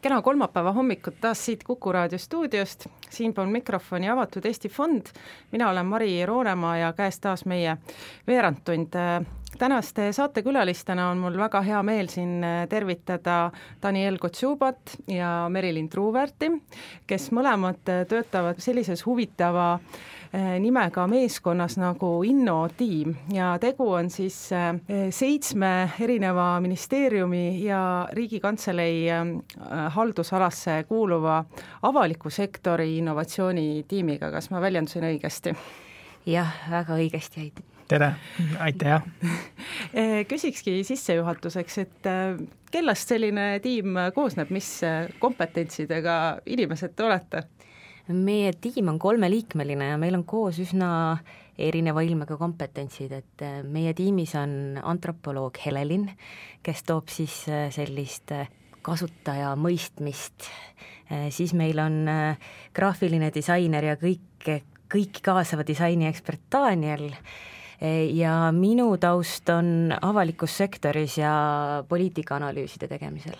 Kena kolmapäeva hommikut taas siit Kuku raadio stuudiost, siinpool mikrofoni Avatud Eesti Fond. Mina olen Mari Roonemaa ja käes taas meie veerandtund. Tänaste saatekülalistena on mul väga hea meel siin tervitada Daniel Kotšubat ja Merilin Truuväärti, kes mõlemad töötavad sellises huvitava nimega meeskonnas nagu Innotiim ja tegu on siis 7 erineva ministeeriumi ja Riigikantselei haldusalasse kuuluva avaliku sektori innovatsioonitiimiga. Kas ma väljendusin õigesti? Jah, väga õigesti jäid. Tere, aitäh. Küsikski sissejuhatuseks, et kellest selline tiim koosneb, mis kompetentsidega inimesed te olete? Meie tiim on 3-liikmeline ja meil on koos üsna erineva ilmega kompetentsid, et meie tiimis on antropoloog Helelin, kes toob siis sellist kasutaja mõistmist, siis meil on graafiline disainer ja kõik kaasava disaini ekspert Daniel ja minu taust on avalikus sektoris ja poliitikaanalüüside tegemisel.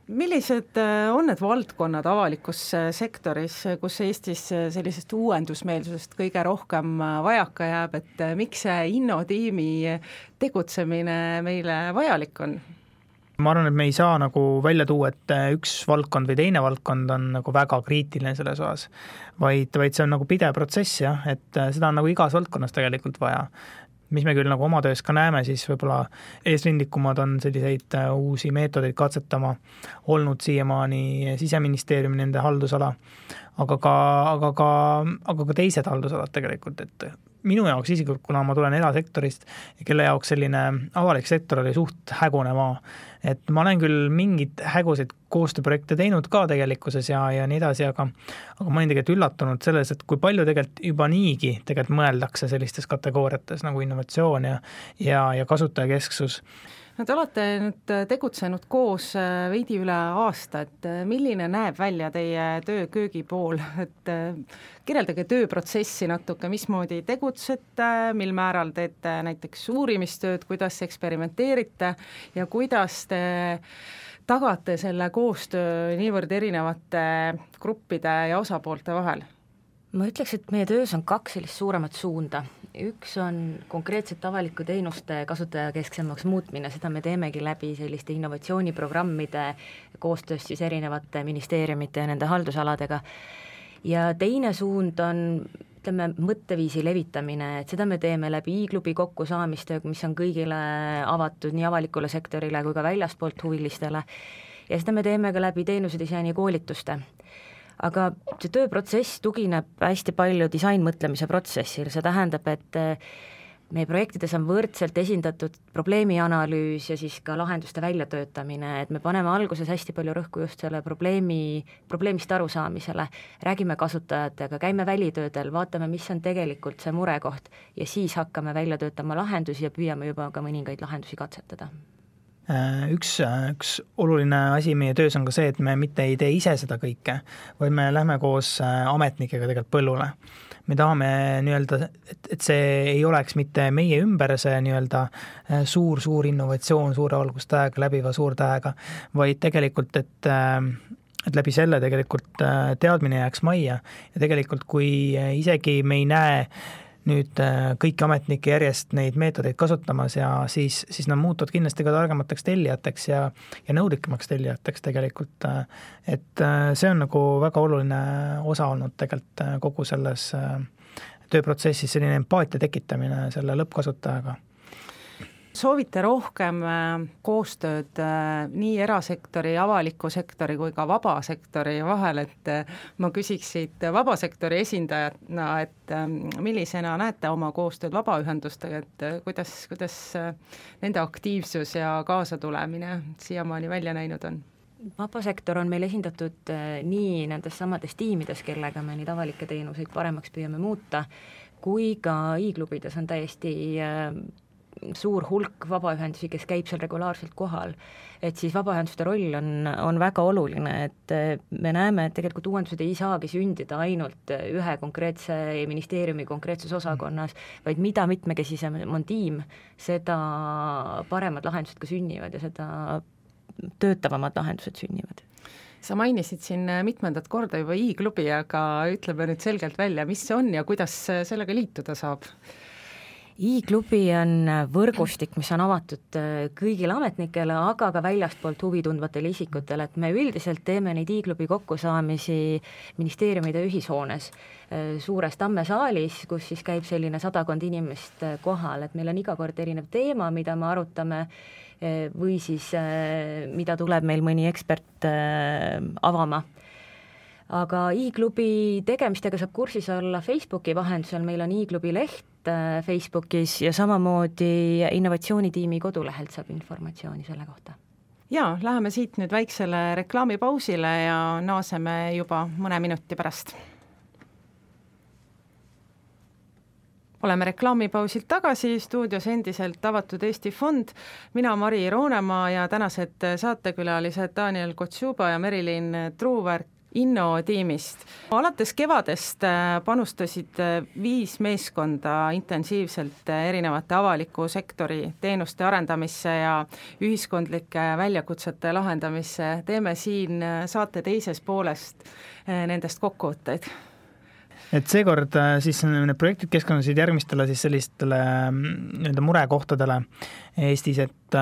Millised on need valdkonnad avalikus sektoris, kus Eestis sellisest uuendusmeelsusest kõige rohkem vajaka jääb, et miks see Innotiimi tegutsemine meile vajalik on? Ma arvan, et me ei saa nagu välja tuua, et üks valdkond või teine valdkond on nagu väga kriitiline selles osas, vaid see on nagu pidev protsess, et seda on nagu igas valdkonnas tegelikult vaja. Mis me küll nagu oma töös ka näeme, siis võib-olla eesrindlikumad on selliseid uusi meetodeid katsetama olnud siiamaani Siseministeeriumi nende haldusala, aga ka teised haldusalad tegelikult, et minu jaoks isiklikult, kuna ma tulen erasektorist ja kelle jaoks selline avalik sektor oli suht hägune maa, et ma olen küll mingid hägusid koostööprojekte teinud ka tegelikkuses ja nii edasi, aga ma olin tegelikult üllatunud selles, et kui palju tegelikult juba niigi tegelikult mõeldakse sellistes kategooriates nagu innovatsioon ja kasutajakesksus. No te olete nüüd tegutsenud koos veidi üle aasta, et milline näeb välja teie töö köögipool, et kirjeldage tööprotsessi natuke, mismoodi tegutsete, mil määral teete näiteks uurimistööd, kuidas eksperimenteerite ja kuidas te tagate selle koostöö niivõrd erinevate gruppide ja osapoolte vahel? Ma ütleks, et meie töös on 2 sellist suuremat suunda. Üks on konkreetselt avaliku teenuste kasutajakesksemaks muutmine, seda me teemegi läbi selliste innovatsiooniprogrammide koostöös siis erinevate ministeeriumite ja nende haldusaladega. Ja teine suund on, ütleme, mõtteviisi levitamine, et seda me teeme läbi i-klubi kokkusaamistöö, mis on kõigile avatud nii avalikule sektorile kui ka väljaspoolt huvilistele. Ja seda me teeme ka läbi teenusedisaini koolituste. Aga see tööprotsess tugineb hästi palju disainmõtlemise protsessil, see tähendab, et meie projektides on võrdselt esindatud probleemianalüüs ja siis ka lahenduste väljatöötamine, et me paneme alguses hästi palju rõhku just selle probleemist arusaamisele, räägime kasutajatega, käime välitöödel, vaatame, mis on tegelikult see murekoht ja siis hakkame välja töötama lahendusi ja püüame juba ka mõningaid lahendusi katsetada. Üks oluline asi meie töös on ka see, et me mitte ei tee ise seda kõike, vaid me lähme koos ametnikega tegelikult põllule. Me tahame nii-öelda, et see ei oleks mitte meie ümber see nii-öelda suur innovatsioon suure valgustähega, läbiva suurtähega, vaid tegelikult, et läbi selle tegelikult teadmine jääks majja ja tegelikult kui isegi me ei näe nüüd kõiki ametnikke järjest neid meetodeid kasutamas ja siis nad muutuvad kindlasti ka targemateks tellijateks ja nõudlikumaks tellijateks tegelikult, et see on nagu väga oluline osa olnud tegelikult kogu selles tööprotsessis, selline empaatia tekitamine selle lõppkasutajaga. Soovite rohkem koostööd nii erasektori, avaliku sektori kui ka vabasektori vahel, et ma küsiksid vabasektori esindajatna, et millisena näete oma koostööd vabaühendustega, et kuidas nende aktiivsus ja kaasatulemine siiamaani välja näinud on? Vabasektor on meil esindatud nii nendes samades tiimides, kellega me neid avalikke teenuseid paremaks püüame muuta, kui ka i-klubides on täiesti suur hulk vabaühendusi, kes käib seal regulaarselt kohal, et siis vabaühenduste roll on väga oluline, et me näeme, et tegelikult uuendused ei saagi sündida ainult ühe konkreetse ministeeriumi konkreetses osakonnas, vaid mida mitmekesisem on tiim, seda paremad lahendused ka sünnivad ja seda töötavamad lahendused sünnivad. Sa mainisid siin mitmendat korda juba i-klubi, aga ütleme nüüd selgelt välja, mis see on ja kuidas sellega liituda saab? i-klubi on võrgustik, mis on avatud kõigile ametnikele, aga ka väljastpoolt huvi tundvatele isikutele, et me üldiselt teeme neid i-klubi kokkusaamisi ministeeriumide ühishoones suures Tammesaalis, kus siis käib selline 100 inimest kohal, et meil on iga kord erinev teema, mida me arutame, või siis mida tuleb meil mõni ekspert avama. Aga i-klubi tegemistega saab kursis olla Facebooki vahendusel, meil on i-klubi leht Facebookis ja samamoodi innovatsioonitiimi kodulehelt saab informatsiooni selle kohta. Ja, läheme siit nüüd väiksele reklaamipausile ja naaseme juba mõne minuti pärast. Oleme reklaamipausilt tagasi, stuudios endiselt avatud Eesti Fond, mina Mari Roonemaa ja tänased saatekülalised Daniel Kotsuba ja Merilin Truuväärt Inno tiimist. Alates kevadest panustasid 5 meeskonda intensiivselt erinevate avaliku sektori teenuste arendamisse ja ühiskondlike väljakutsete lahendamisse. Teeme siin saate teises poolest nendest kokkuvõtteid. Et seekord siis need projektid keskendusid järgmistele siis sellistele murekohtadele Eestis, et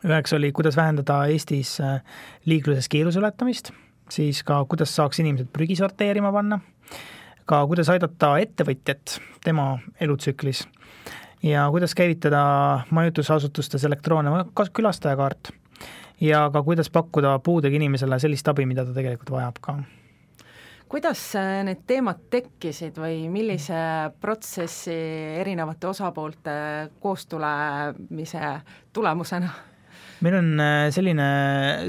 üheks oli, kuidas vähendada Eestis liikluses kiiruse ületamist, siis ka kuidas saaks inimesed prügi sorteerima panna, ka kuidas aidata ettevõtjat tema elutsüklis ja kuidas käivitada majutusasutustes elektroonne külastajakaart ja ka kuidas pakkuda puudega inimesele sellist abi, mida ta tegelikult vajab ka. Kuidas need teemad tekkisid või millise protsessi erinevate osapoolte koostulemise tulemusena? Meil on selline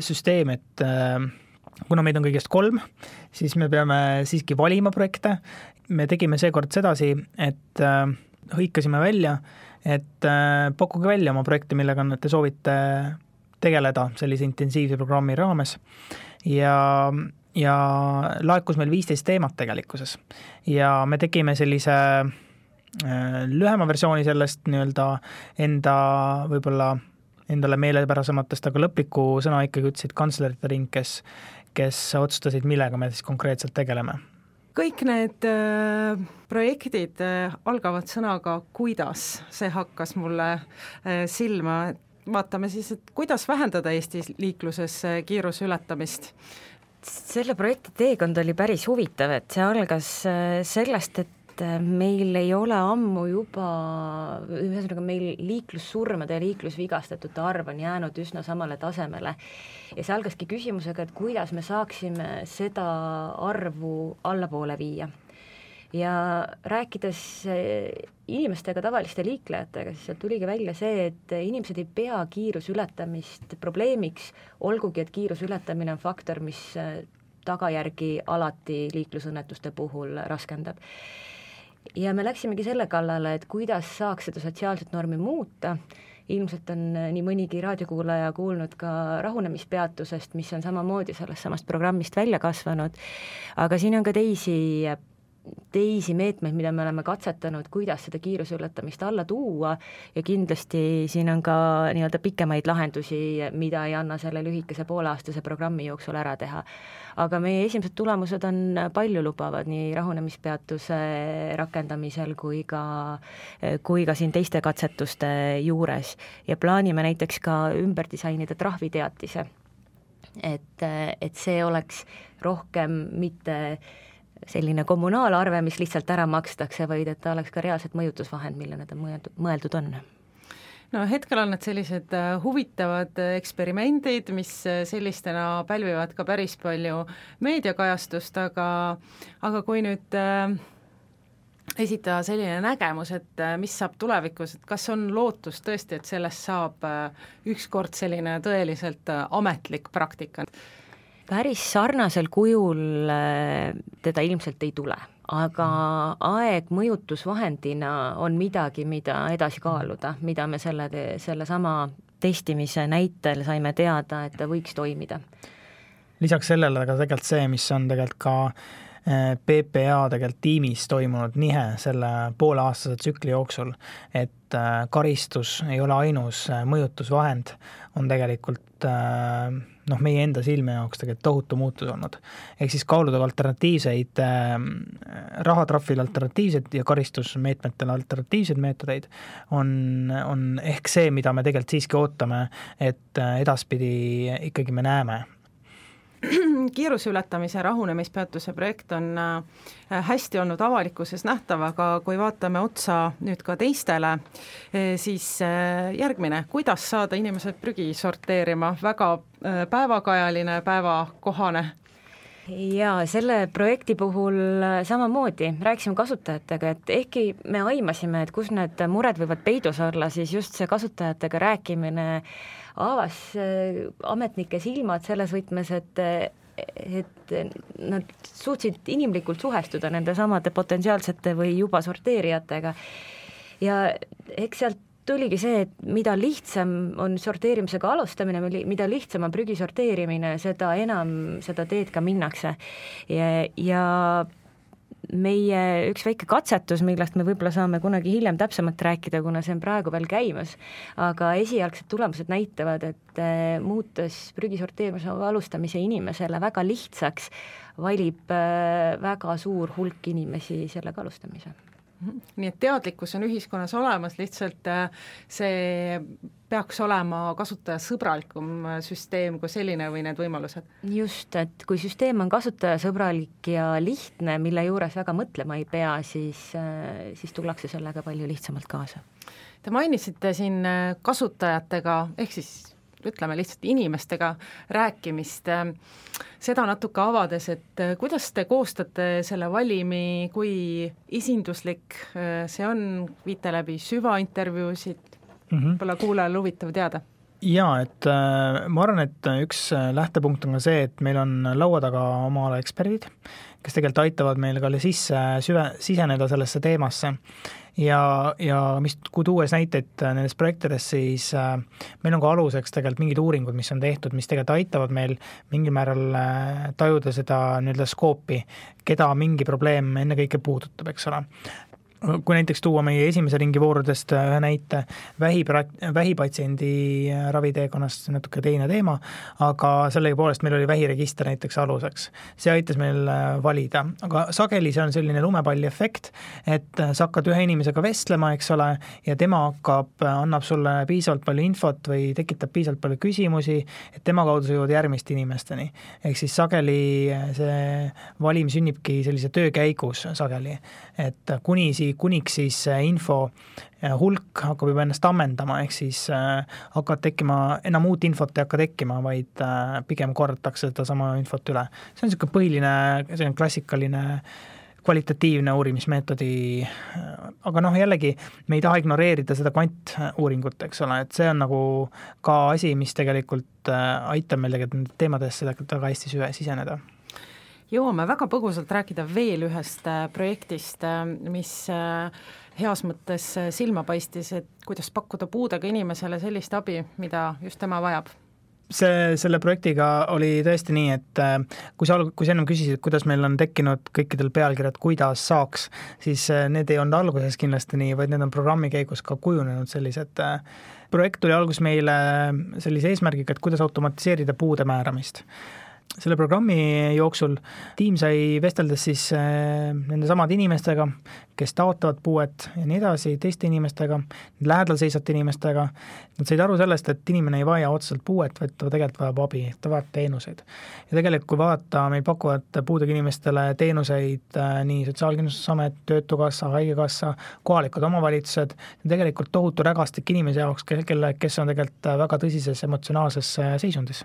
süsteem, et kuna meid on kõigest 3, siis me peame siiski valima projekte. Me tegime seekord sedasi, et hõikasime välja, et pakkuge välja oma projekte, millega te soovite tegeleda sellise intensiivse programmi raames. Ja laekus meil 15 teemat tegelikkuses. Ja me tegime sellise lühema versiooni sellest enda võib-olla endale meelepärasematest, aga lõpliku sõna ikkagi ütlesid kantslerite ring, kes otsustasid, millega me siis konkreetselt tegeleme. Kõik need projektid algavad sõnaga kuidas, see hakkas mulle silma. Vaatame siis, et kuidas vähendada Eestis liikluses kiiruse ületamist. Selle projekti teekond oli päris huvitav, et see algas sellest, et meil ei ole ammu juba, ühesõnaga meil liiklussurmade ja liiklusvigastatute arv on jäänud üsna samale tasemele ja see algaski küsimusega, et kuidas me saaksime seda arvu allapoole viia. Ja rääkides inimestega, tavaliste liiklejatega, siis sealt tuligi välja see, et inimesed ei pea kiiruse ületamist probleemiks, olgugi, et kiiruse ületamine on faktor, mis tagajärgi alati liiklusõnnetuste puhul raskendab. Ja me läksimegi selle kallale, et kuidas saaks seda sotsiaalset normi muuta. Ilmselt on nii mõnigi raadiokuulaja kuulnud ka rahunemispeatusest, mis on samamoodi sellest samast programmist välja kasvanud, aga siin on ka teisi meetmeid, mida me oleme katsetanud, kuidas seda kiiruse ületamist alla tuua ja kindlasti siin on ka nii-öelda pikemaid lahendusi, mida ei anna selle lühikese pooleaastase programmi jooksul ära teha. Aga meie esimesed tulemused on palju lubavad nii rahunemispeatuse rakendamisel kui ka siin teiste katsetuste juures ja plaanime näiteks ka ümber disainida trahviteatise, et see oleks rohkem mitte selline kommunaalarve, mis lihtsalt ära makstakse, vaid et ta oleks ka reaalselt mõjutusvahend, mille nad mõeldud on. No hetkel on need sellised huvitavad eksperimendid, mis sellistena pälvivad ka päris palju meediakajastust, aga kui nüüd esitada selline nägemus, et mis saab tulevikus, et kas on lootus tõesti, et sellest saab ükskord selline tõeliselt ametlik praktika? Päris sarnasel kujul teda ilmselt ei tule, aga aeg mõjutusvahendina on midagi, mida edasi kaaluda, mida me selle sama testimise näitel saime teada, et ta võiks toimida. Lisaks sellele aga tegelikult see, mis on tegelikult ka PPA tegelikult tiimis toimunud nihe selle pooleaastase tsükli jooksul, et karistus ei ole ainus mõjutusvahend, on tegelikult meie enda silme jaoks tegelikult tohutu muutus olnud. Ehk siis kaaluda alternatiivseid, rahatrahvil alternatiivseid ja karistusmeetmetele alternatiivseid meetodeid on ehk see, mida me tegelikult siiski ootame, et edaspidi ikkagi me näeme. Kiiruse ületamise rahunemispeatuse projekt on hästi olnud avalikkuses nähtav, aga kui vaatame otsa nüüd ka teistele, siis järgmine, kuidas saada inimesed prügi sorteerima, väga päevakajaline, päevakohane? Ja selle projekti puhul samamoodi rääkisime kasutajatega, et ehkki me aimasime, et kus need mured võivad peidus olla, siis just see kasutajatega rääkimine avas ametnike silmad selles võtmes, et nad suutsid inimlikult suhestuda nende samade potentsiaalsete või juba sorteerijatega. Ja eks sealt tuligi see, et mida lihtsam on sorteerimisega alustamine, mida lihtsam on prügi sorteerimine, seda enam seda teed ka minnakse. Ja meie üks väike katsetus, millest me võib-olla saame kunagi hiljem täpsemalt rääkida, kuna see on praegu veel käimas, aga esialgsed tulemused näitavad, et muutes prügi sorteerimise alustamise inimesele väga lihtsaks, valib väga suur hulk inimesi sellega alustamise. Nii et teadlikkus on ühiskonnas olemas, lihtsalt see peaks olema kasutajasõbralikum süsteem kui selline või need võimalused? Just, et kui süsteem on kasutajasõbralik ja lihtne, mille juures väga mõtlema ei pea, siis tullakse sellega palju lihtsamalt kaasa. Te mainisite siin kasutajatega, ehk siis ütleme lihtsalt inimestega rääkimist, seda natuke avades, et kuidas te koostate selle valimi, kui esinduslik see on, viite läbi süvaintervjuusid, võib-olla kuulajal huvitav teada? Jaa, et ma arvan, et üks lähtepunkt on ka see, et meil on laua taga oma ala eksperdid, kes tegelikult aitavad meil ka siseneda sellesse teemasse. Ja kui tuues näiteid nendes projektides, siis meil on ka aluseks tegelikult mingid uuringud, mis on tehtud, mis tegelikult aitavad meil mingil määral tajuda seda nii-öelda skoopi, keda mingi probleem ennekõike puudutab, eks ole. Kui näiteks tuua meie esimese ringi voorudest näite vähipatsiendi raviteekonnast, natuke teine teema, aga sellega poolest meil oli vähiregister näiteks aluseks. See aitas meil valida, aga sageli see on selline lumepalli efekt, et sa hakkad ühe inimesega vestlema, eks ole, ja tema annab sulle piisavalt palju infot või tekitab piisavalt palju küsimusi, et tema kaudu sa jõuad järgmiste inimesteni. Ehk siis sageli see valim sünnibki sellise töö käigus sageli, et kuniks siis info hulk hakkab juba ennast ammendama, ehk siis hakkab tekkima, enam uut infot ei hakka tekkima, vaid pigem kordatakse seda sama infot üle. See on niisugune põhiline, see on klassikaline kvalitatiivne uurimismeetodi, aga jällegi me ei taha ignoreerida seda kvantuuringut, eks ole, et see on nagu ka asi, mis tegelikult aitab meil tegelikult teemadesse väga hästi siseneda. Jõuame väga põgusalt rääkida veel ühest projektist, mis heas mõttes silma paistis, et kuidas pakkuda puudega inimesele sellist abi, mida just tema vajab. Selle projektiga oli tõesti nii, et kui sa ennem küsisid, kuidas meil on tekkinud kõikidel pealkirjad, kuidas saaks, siis need ei olnud alguses kindlasti nii, vaid need on programmi käigus ka kujunenud sellised. Projekt tuli algus meile sellise eesmärgiga, et kuidas automatiseerida puude määramist. Selle programmi jooksul tiim sai vesteldes siis nende samad inimestega, kes taotavad puuet ja nii edasi, teiste inimestega, lähedal seisvate inimestega. Nad said aru sellest, et inimene ei vaja otseselt puuet, vaid ta tegelikult vajab abi, ta vajab teenuseid. Ja tegelikult kui vaadata, meil pakuvad puudega inimestele teenuseid nii Sotsiaalkindlustusamet, Töötukassa, Haigekassa, kohalikud omavalitsused, tegelikult tohutu rägastik inimese jaoks, kes on tegelikult väga tõsises emotsionaalses seisundis.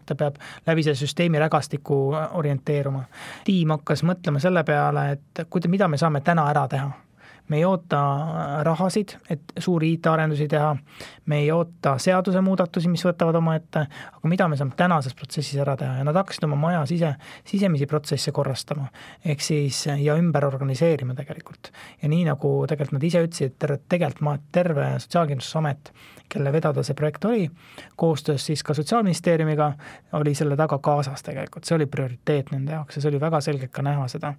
Ta peab läbi selle süsteemi rägastiku orienteeruma. Tiim hakkas mõtlema selle peale, et mida me saame täna ära teha. me ei oota rahasid, et suuri IT-arendusi teha, me ei oota seaduse muudatusi, mis võtavad oma ette, aga mida me saame tänases protsessis ära teha ja nad hakkasid oma maja sisemisi protsesse korrastama, ehk siis ja ümber organiseerima tegelikult. Ja nii nagu tegelikult nad ise ütlesid, terve Sotsiaalkindlustusamet, kelle vedada see projekt oli, koostöös siis ka Sotsiaalministeeriumiga, oli selle taga kaasas tegelikult, see oli prioriteet nende jaoks ja see oli väga selgelt ka näha seda.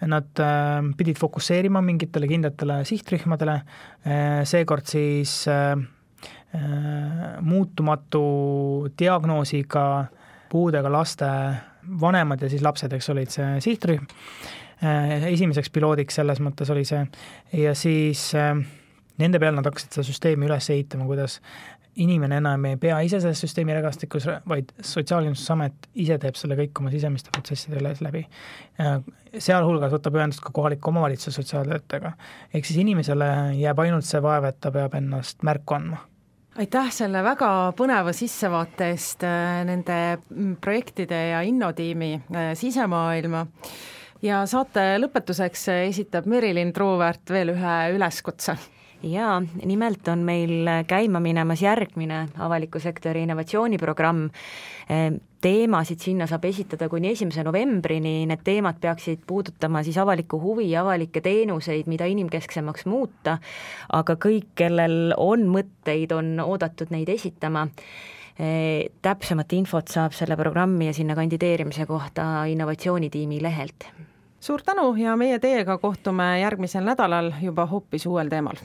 Nad pidid fokusseerima mingitele kindlatele sihtrühmadele, seekord siis muutumatu diagnoosiga puudega laste vanemad ja siis lapsed, eks olid see sihtrühm. Esimeseks piloodiks selles mõttes oli see ja siis nende peal nad hakkasid seda süsteemi üles ehitama, kuidas inimene enam ei pea ise selles süsteemi regastikus, vaid Sotsiaalkindlustusamet ise teeb selle kõik oma sisemiste protsesside üles läbi. Sealhulgas võtab ühendust ka kohaliku omavalitsuse sotsiaaltöötajaga. Ehk siis inimesele jääb ainult see vaev, et ta peab ennast märku andma. Aitäh selle väga põneva sissevaate eest nende projektide ja innotiimi sisemaailma. Ja saate lõpetuseks esitab Merilin Truuväärt veel ühe üleskutse. Jaa, nimelt on meil käima minemas järgmine avaliku sektori innovatsiooniprogramm. Teemasid sinna saab esitada kuni 1. novembrini, need teemad peaksid puudutama siis avalikku huvi ja avalikke teenuseid, mida inimkesksemaks muuta, aga kõik, kellel on mõtteid, on oodatud neid esitama. Täpsemat infot saab selle programmi ja sinna kandideerimise kohta innovatsioonitiimi lehelt. Suur tänu ja meie teiega kohtume järgmisel nädalal juba hoopis uuel teemal.